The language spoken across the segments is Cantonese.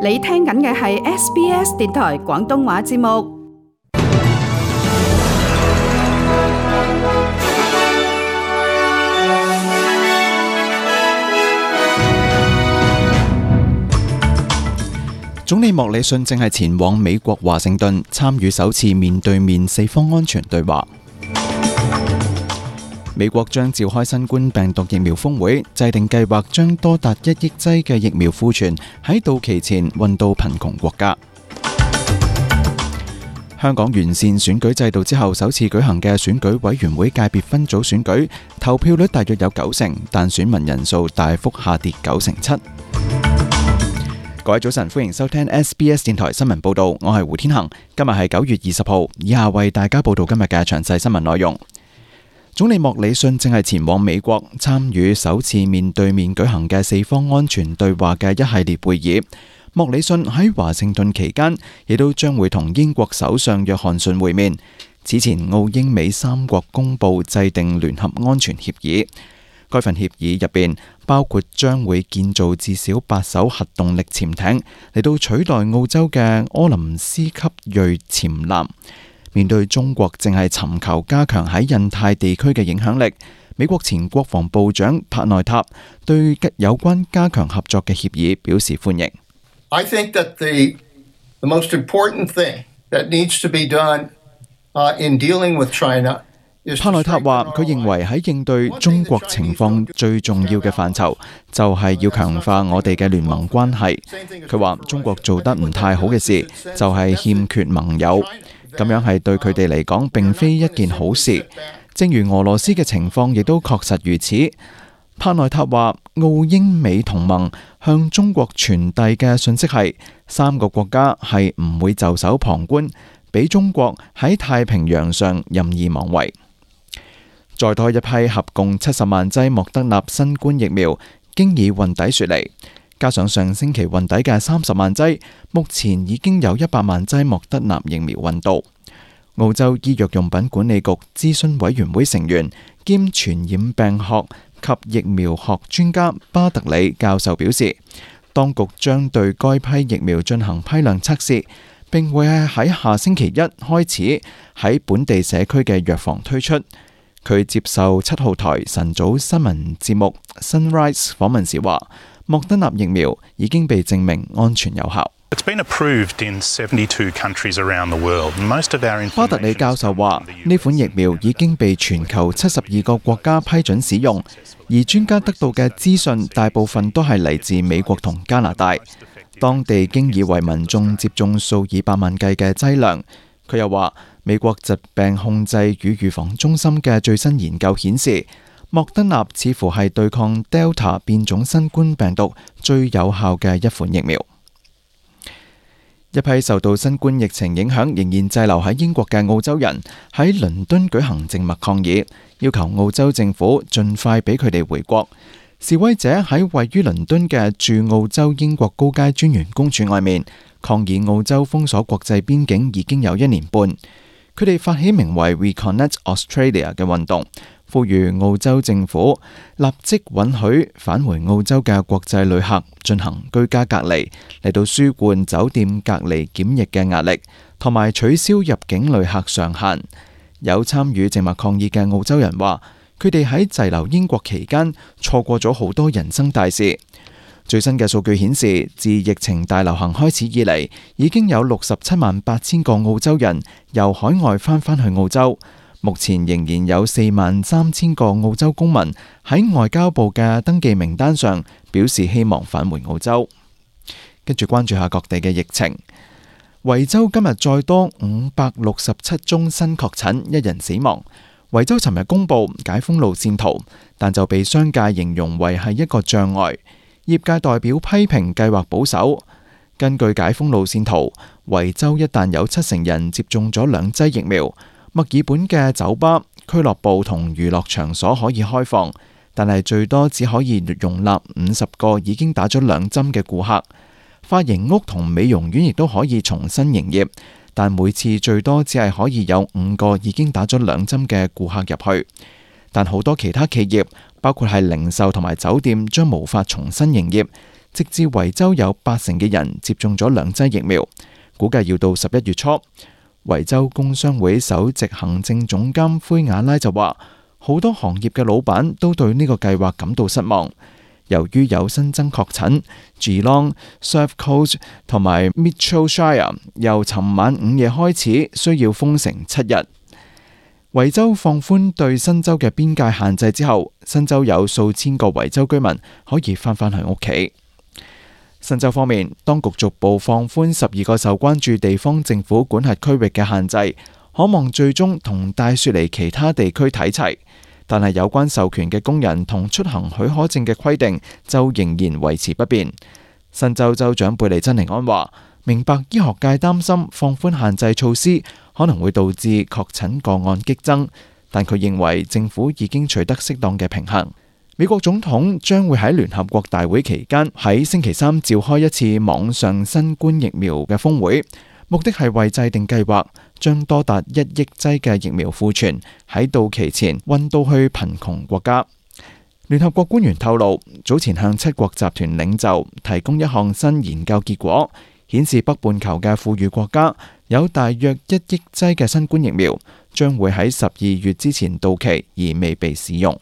你聽緊嘅係 SBS 電台廣東話節目。總理莫里遜正係前往美國華盛頓參與首次面對面四方安全對話。美國將召開新冠病毒疫苗峰會，制定計劃將多達1億劑嘅疫苗庫存喺到期前運到貧窮國家。香港完善選舉制度之後首次舉行嘅選舉委員會界別分組選舉，投票率大約有90%，但選民人數大幅下跌97%。各位早晨，歡迎收聽 SBS 電台新聞報道，我係胡天恒。今日係9月20號，以下為大家報道今日嘅詳細新聞內容。總理莫里遜正係前往美國參與首次面對面舉行嘅四方安全對話嘅一系列會議。莫里遜喺華盛頓期間，亦都將會同英國首相約翰遜會面。此前，澳英美三國公佈制定聯合安全協議。該份協議入邊包括將會建造至少8艘核動力潛艇嚟到取代澳洲嘅柯林斯級銳潛艦。面對中國正係尋求加強喺印太地區嘅影響力，美國前國防部長帕內塔對有關加強合作嘅協議表示歡迎。I think that the most important thing that needs to be done in dealing with China。帕內塔話：佢認為喺應對中國情況最重要嘅範疇，就係要強化我哋嘅聯盟關係。佢話中國做得唔太好嘅事，就係欠缺盟友，咁樣係對佢哋嚟講並非一件好事。正如俄羅斯嘅情況亦都確實如此。帕內塔話：澳英美同盟向中國傳遞嘅信息係，3個國家係唔會袖手旁觀，俾中國喺太平洋上任意妄為。再多一批合共70萬劑莫德納新冠疫苗經已運抵雪梨，加上上星期運抵嘅30萬劑，目前已經有100萬劑莫德納疫苗運到。澳洲醫藥用品管理局諮詢委員會成員兼傳染病學及疫苗學專家巴特里教授表示，當局將對該批疫苗進行批量測試，並會喺下星期1開始喺本地社區嘅藥房推出。佢接受7號台晨早新聞節目 Sunrise 訪問時話，莫德納疫苗已經被證明安全有效。巴特里教授話，呢款疫苗已經被全球72個國家批准使用，而專家得到嘅資訊大部分都係嚟自美國同加拿大，當地經已為民眾接種數以百萬計嘅劑量。佢又話，美國疾病控制與預防中心嘅最新研究顯示，莫德納似乎係對抗 Delta 變種新冠病毒最有效嘅一款疫苗。一批受到新冠疫情影響仍然滯留喺英國嘅澳洲人喺倫敦舉行靜默抗議，要求澳洲政府盡快俾佢哋回國。示威者喺位於倫敦嘅駐澳洲英國高階專員公署外面抗議澳洲封鎖國際邊境已經有1年半。佢哋發起名為 Reconnect Australia 嘅運動，呼籲澳洲政府立即允許返回澳洲嘅國際旅客進行居家隔離，嚟到舒緩酒店隔離檢疫嘅壓力，同埋取消入境旅客上限。有參與靜默抗議嘅澳洲人話，佢哋喺滯留英國期間錯過咗好多人生大事。最新嘅數據顯示，自疫情大流行開始以嚟，已經有67萬8千個澳洲人由海外返去澳洲。目前仍然有4萬3千個澳洲公民喺外交部嘅登記名單上，表示希望返回澳洲。跟住關注下各地嘅疫情。維州今日再多567宗新確診，1人死亡。維州尋日公布解封路線圖，但就被商界形容為係一個障礙。業界代表批評計劃保守。根據解封路線圖，維州一旦有70%人接種咗2劑疫苗，墨爾本嘅酒吧、俱樂部同娛樂場所可以開放，但係最多只可以容納50個已經打咗2針嘅顧客。髮型屋同美容院亦都可以重新營業，但每次最多只係可以有5個已經打咗2針嘅顧客入去。但好多其他企業，包括係零售同埋酒店，將無法重新營業，直至維州有80%嘅人接種咗2劑疫苗，估計要到11月初。維州工商會首席行政總監灰瓦拉就話，好多行業嘅老闆都對呢個計劃感到失望。由於有新增確診 ，Geelong、Surf Coast 同埋 Mitchell Shire 由尋晚午夜開始需要封城7日。維州放寬對新州嘅邊界限制之後，新州有數千個維州居民可以返去屋企。新州方面，當局逐步放寬12個受關注地方政府管轄區域嘅限制，可望最終同大雪梨其他地區睇齊。但係有關授權嘅工人同出行許可證嘅規定就仍然維持不變。新州州長貝利珍尼安話，明白醫學界擔心放寬限制措施可能會導致確診個案激增，但佢認為政府已經取得適當嘅平衡。美國總統將會喺聯合國大會期間喺星期三召開一次網上新冠疫苗嘅峰會，目的係為制定計劃，將多達1億劑嘅疫苗庫存喺到期前運到去貧窮國家。聯合國官員透露，早前向7國集團領袖提供一項新研究結果，顯示北半球嘅富裕國家有大約1億劑嘅新冠疫苗將會喺12月之前到期而未被使用。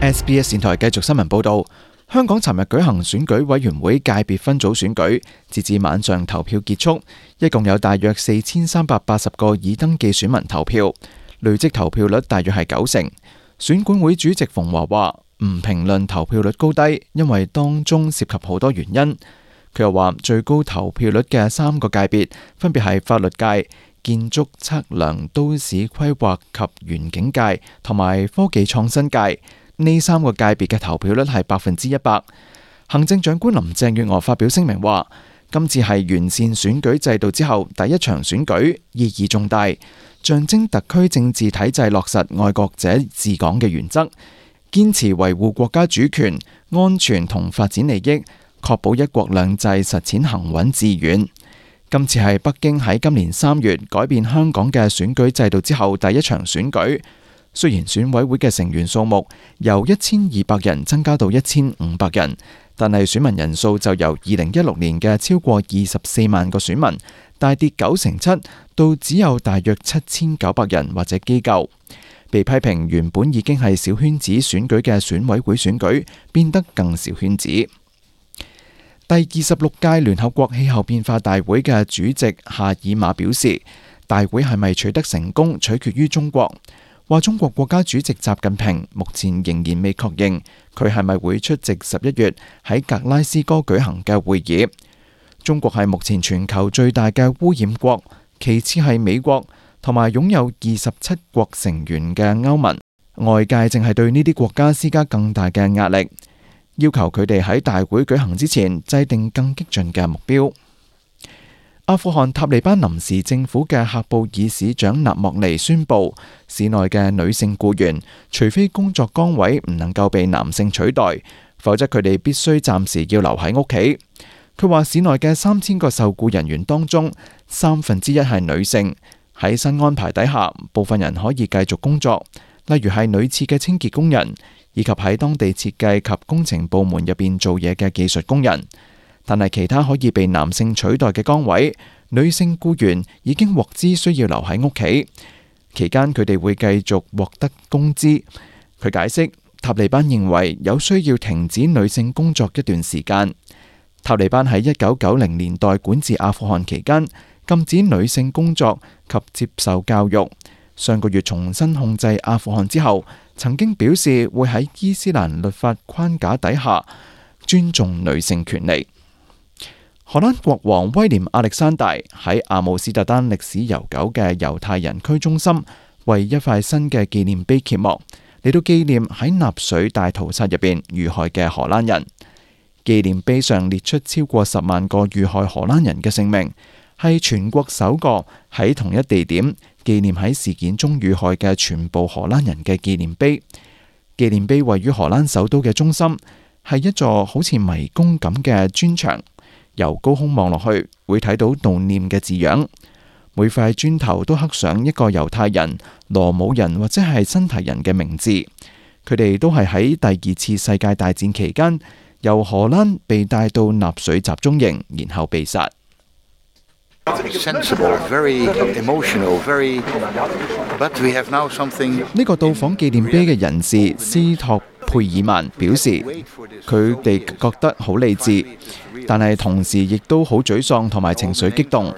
SBS 電台繼續新聞報道，香港尋日舉行選舉委員會界別分組選舉，截至晚上投票結束，一共有大約4380個已登記選民投票，累積投票率大約係90%。選管會主席馮華話唔評論投票率高低，因為當中涉及好多原因。佢又話最高投票率嘅3個界別分別係法律界、建築測量、都市規劃及園境界同埋科技創新界。呢3個界別嘅投票率係100%。行政長官林鄭月娥發表聲明話，今次係完善選舉制度之後第一場選舉，意義重大，象徵特區政治體制落實愛國者治港嘅原則，堅持維護國家主權、安全同發展利益，確保一國兩制實踐行穩致遠。今次係北京喺今年3月改變香港嘅選舉制度之後第一場選舉。雖然選委會嘅成員數目由1200人增加到1500人，但係選民人數就由2016年嘅超過24萬個選民大跌97%，到只有大約7900人或者機構。被批評原本已經係小圈子選舉嘅選委會選舉變得更小圈子。第26屆聯合國氣候變化大會嘅主席夏爾馬表示，大會係咪取得成功取決於中國。話中國國家主席習近平目前仍然未確認佢係咪會出席11月喺格拉斯哥舉行嘅會議。中國係目前全球最大嘅污染國，其次係美國，同埋擁有27國成員嘅歐盟。外界正係對呢啲國家施加更大嘅壓力，要求佢哋喺大會舉行之前制定更激進嘅目標。阿富汗塔利班臨時政府嘅喀布爾市長納莫尼宣布，市內嘅女性僱員，除非工作崗位唔能夠被男性取代，否則佢哋必須暫時要留喺屋企。佢話市內嘅3000個受僱人員當中1/3係女性。喺新安排底下，部分人可以繼續工作，例如係女廁嘅清潔工人，以及喺當地設計及工程部門入邊做嘢嘅技術工人。但係其他可以被男性取代嘅崗位，女性僱員已經獲知需要留喺屋企，期間佢哋會繼續獲得工資。佢解釋，塔利班認為有需要停止女性工作一段時間。塔利班喺1990年代管治阿富汗期間，禁止女性工作及接受教育。上個月重新控制阿富汗之後，曾經表示會喺伊斯蘭律法框架底下尊重女性權利。荷蘭國王威廉亞歷山大喺阿姆斯特丹歷史悠久嘅猶太人區中心為一塊新嘅紀念碑揭幕，嚟到紀念喺納粹大屠殺入邊遇害嘅荷蘭人。紀念碑上列出超過10萬個遇害荷蘭人嘅姓名，係全國首個喺同一地點紀念喺事件中遇害嘅全部荷蘭人嘅紀念碑。紀念碑位於荷蘭首都嘅中心，係一座好似迷宮咁嘅磚牆。由高空望落去，會睇到悼念嘅字樣。每塊磚頭都刻上一個猶太人、羅姆人或者係新提人嘅名字。佢哋都係喺第2次世界大戰期間由荷蘭被帶到納粹集中營，然後被殺。呢個到訪紀念碑嘅人士斯托佩爾曼表示，佢哋覺得好理智，但係同時亦都好沮喪同埋情緒激動。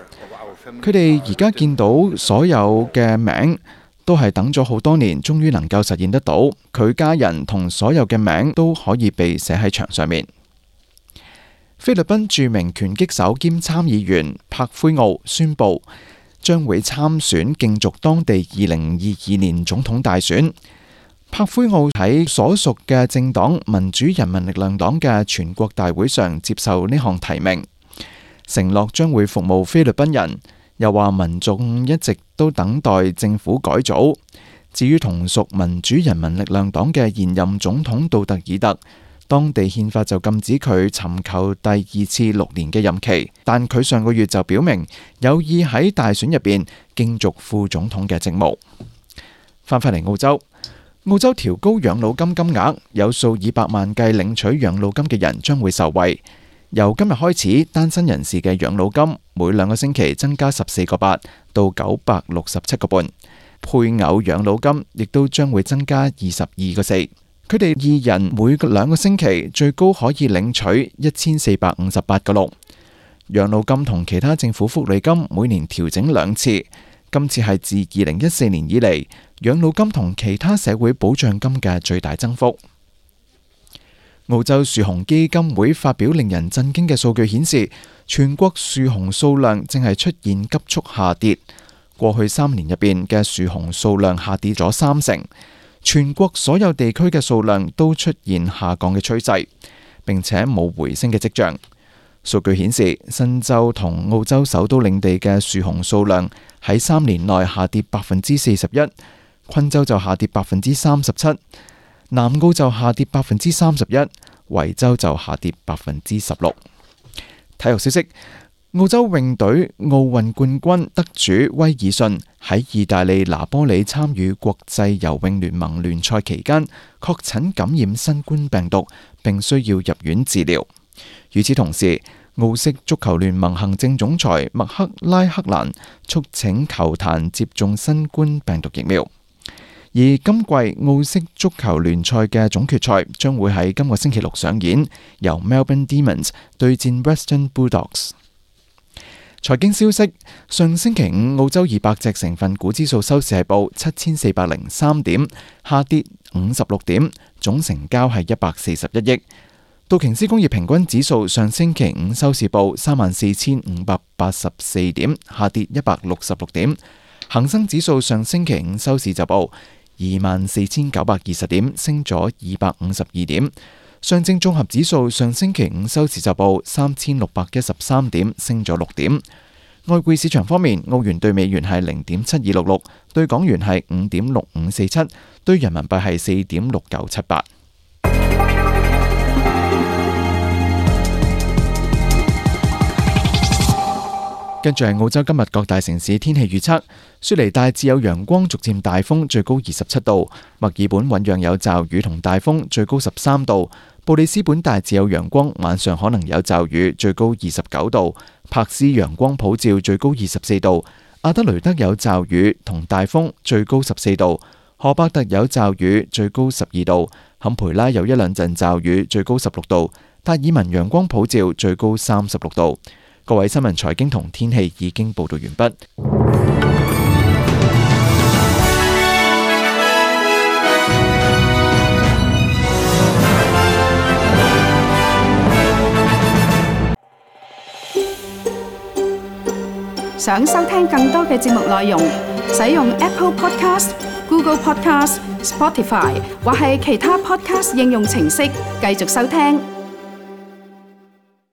佢哋而家見到所有嘅名都係等咗好多年，終於能夠實現得到。佢家人同所有嘅名都可以被寫喺牆上面。菲律賓著名拳擊手兼參議員柏奎奧宣布將會參選競逐當地2022年總統大選。柏奎奧喺所屬嘅政黨民主人民力量黨嘅全國大會上接受呢項提名，承諾將會服務菲律賓人，又話民眾一直都等待政府改組。至於同屬民主人民力量黨嘅現任總統杜特爾特，當地憲法就禁止佢尋求第2次6年嘅任期，但佢上個月就表明有意喺大選入邊競逐副總統嘅職務。翻返嚟澳洲調高養老金金額，有數以百萬計領取養老金嘅人將會受惠。由今日開始，單身人士嘅養老金每2個星期增加14.8到967.5，配偶養老金亦都將會增加22.4。佢哋2人每2個星期最高可以領取1458.6。養老金同其他政府福利金每年調整2次，今次係自2014年以嚟養老金同其他社會保障金嘅最大增幅。澳洲樹熊基金會發表令人震驚嘅數據顯示，全國樹熊數量正係出現急速下跌。過去3年入邊嘅樹熊數量下跌咗30%，全國所有地區嘅數量都出現下降嘅趨勢，並且冇回升嘅跡象。數據顯示，新州同澳洲首都領地嘅樹熊數量喺3年內下跌41%，昆州就下跌37%，南澳就下跌31%，維州就下跌16%。體育消息，澳洲泳隊奧運冠軍得主威爾遜喺意大利拿波里參與國際游泳聯盟聯賽期間確診感染新冠病毒，並需要入院治療。與此同時，澳式足球聯盟行政總裁麥克拉克蘭促請球壇接種新冠病毒疫苗。而今季澳式足球聯賽嘅總決賽將會喺今個星期6上演，由 Melbourne Demons 對戰 Western Bulldogs。財經消息，上星期5澳洲200隻成分股指數收市係報7403點，下跌56點，總成交係141億。道瓊斯工業平均指數上星期5收市報34584點，下跌166點。恒生指數上星期5收市就報24920點，升咗252點。上證綜合指數上星期5收市就報3613點，升咗6點。外匯市場方面，澳元對美元係0.7266，對港元係5.6547，對人民幣係4.6978。跟住係澳洲今日各大城市天氣預測：雪梨大致有陽光，逐漸大風，最高27度；墨爾本醞釀有驟雨同大風，最高13度；布里斯本大致有陽光，晚上可能有驟雨，最高29度；柏斯陽光普照，最高24度；阿德雷德有驟雨同大風，最高14度；荷伯特有驟雨，最高12度；坎培拉有1-2陣驟雨，最高16度；達爾文陽光普照，最高36度。各位新聞、財經同天氣已經報道完畢。想收聽更多嘅節目內容，使用 Apple Podcast、Google Podcast、Spotify 或係其他 Podcast 應用程式繼續收聽。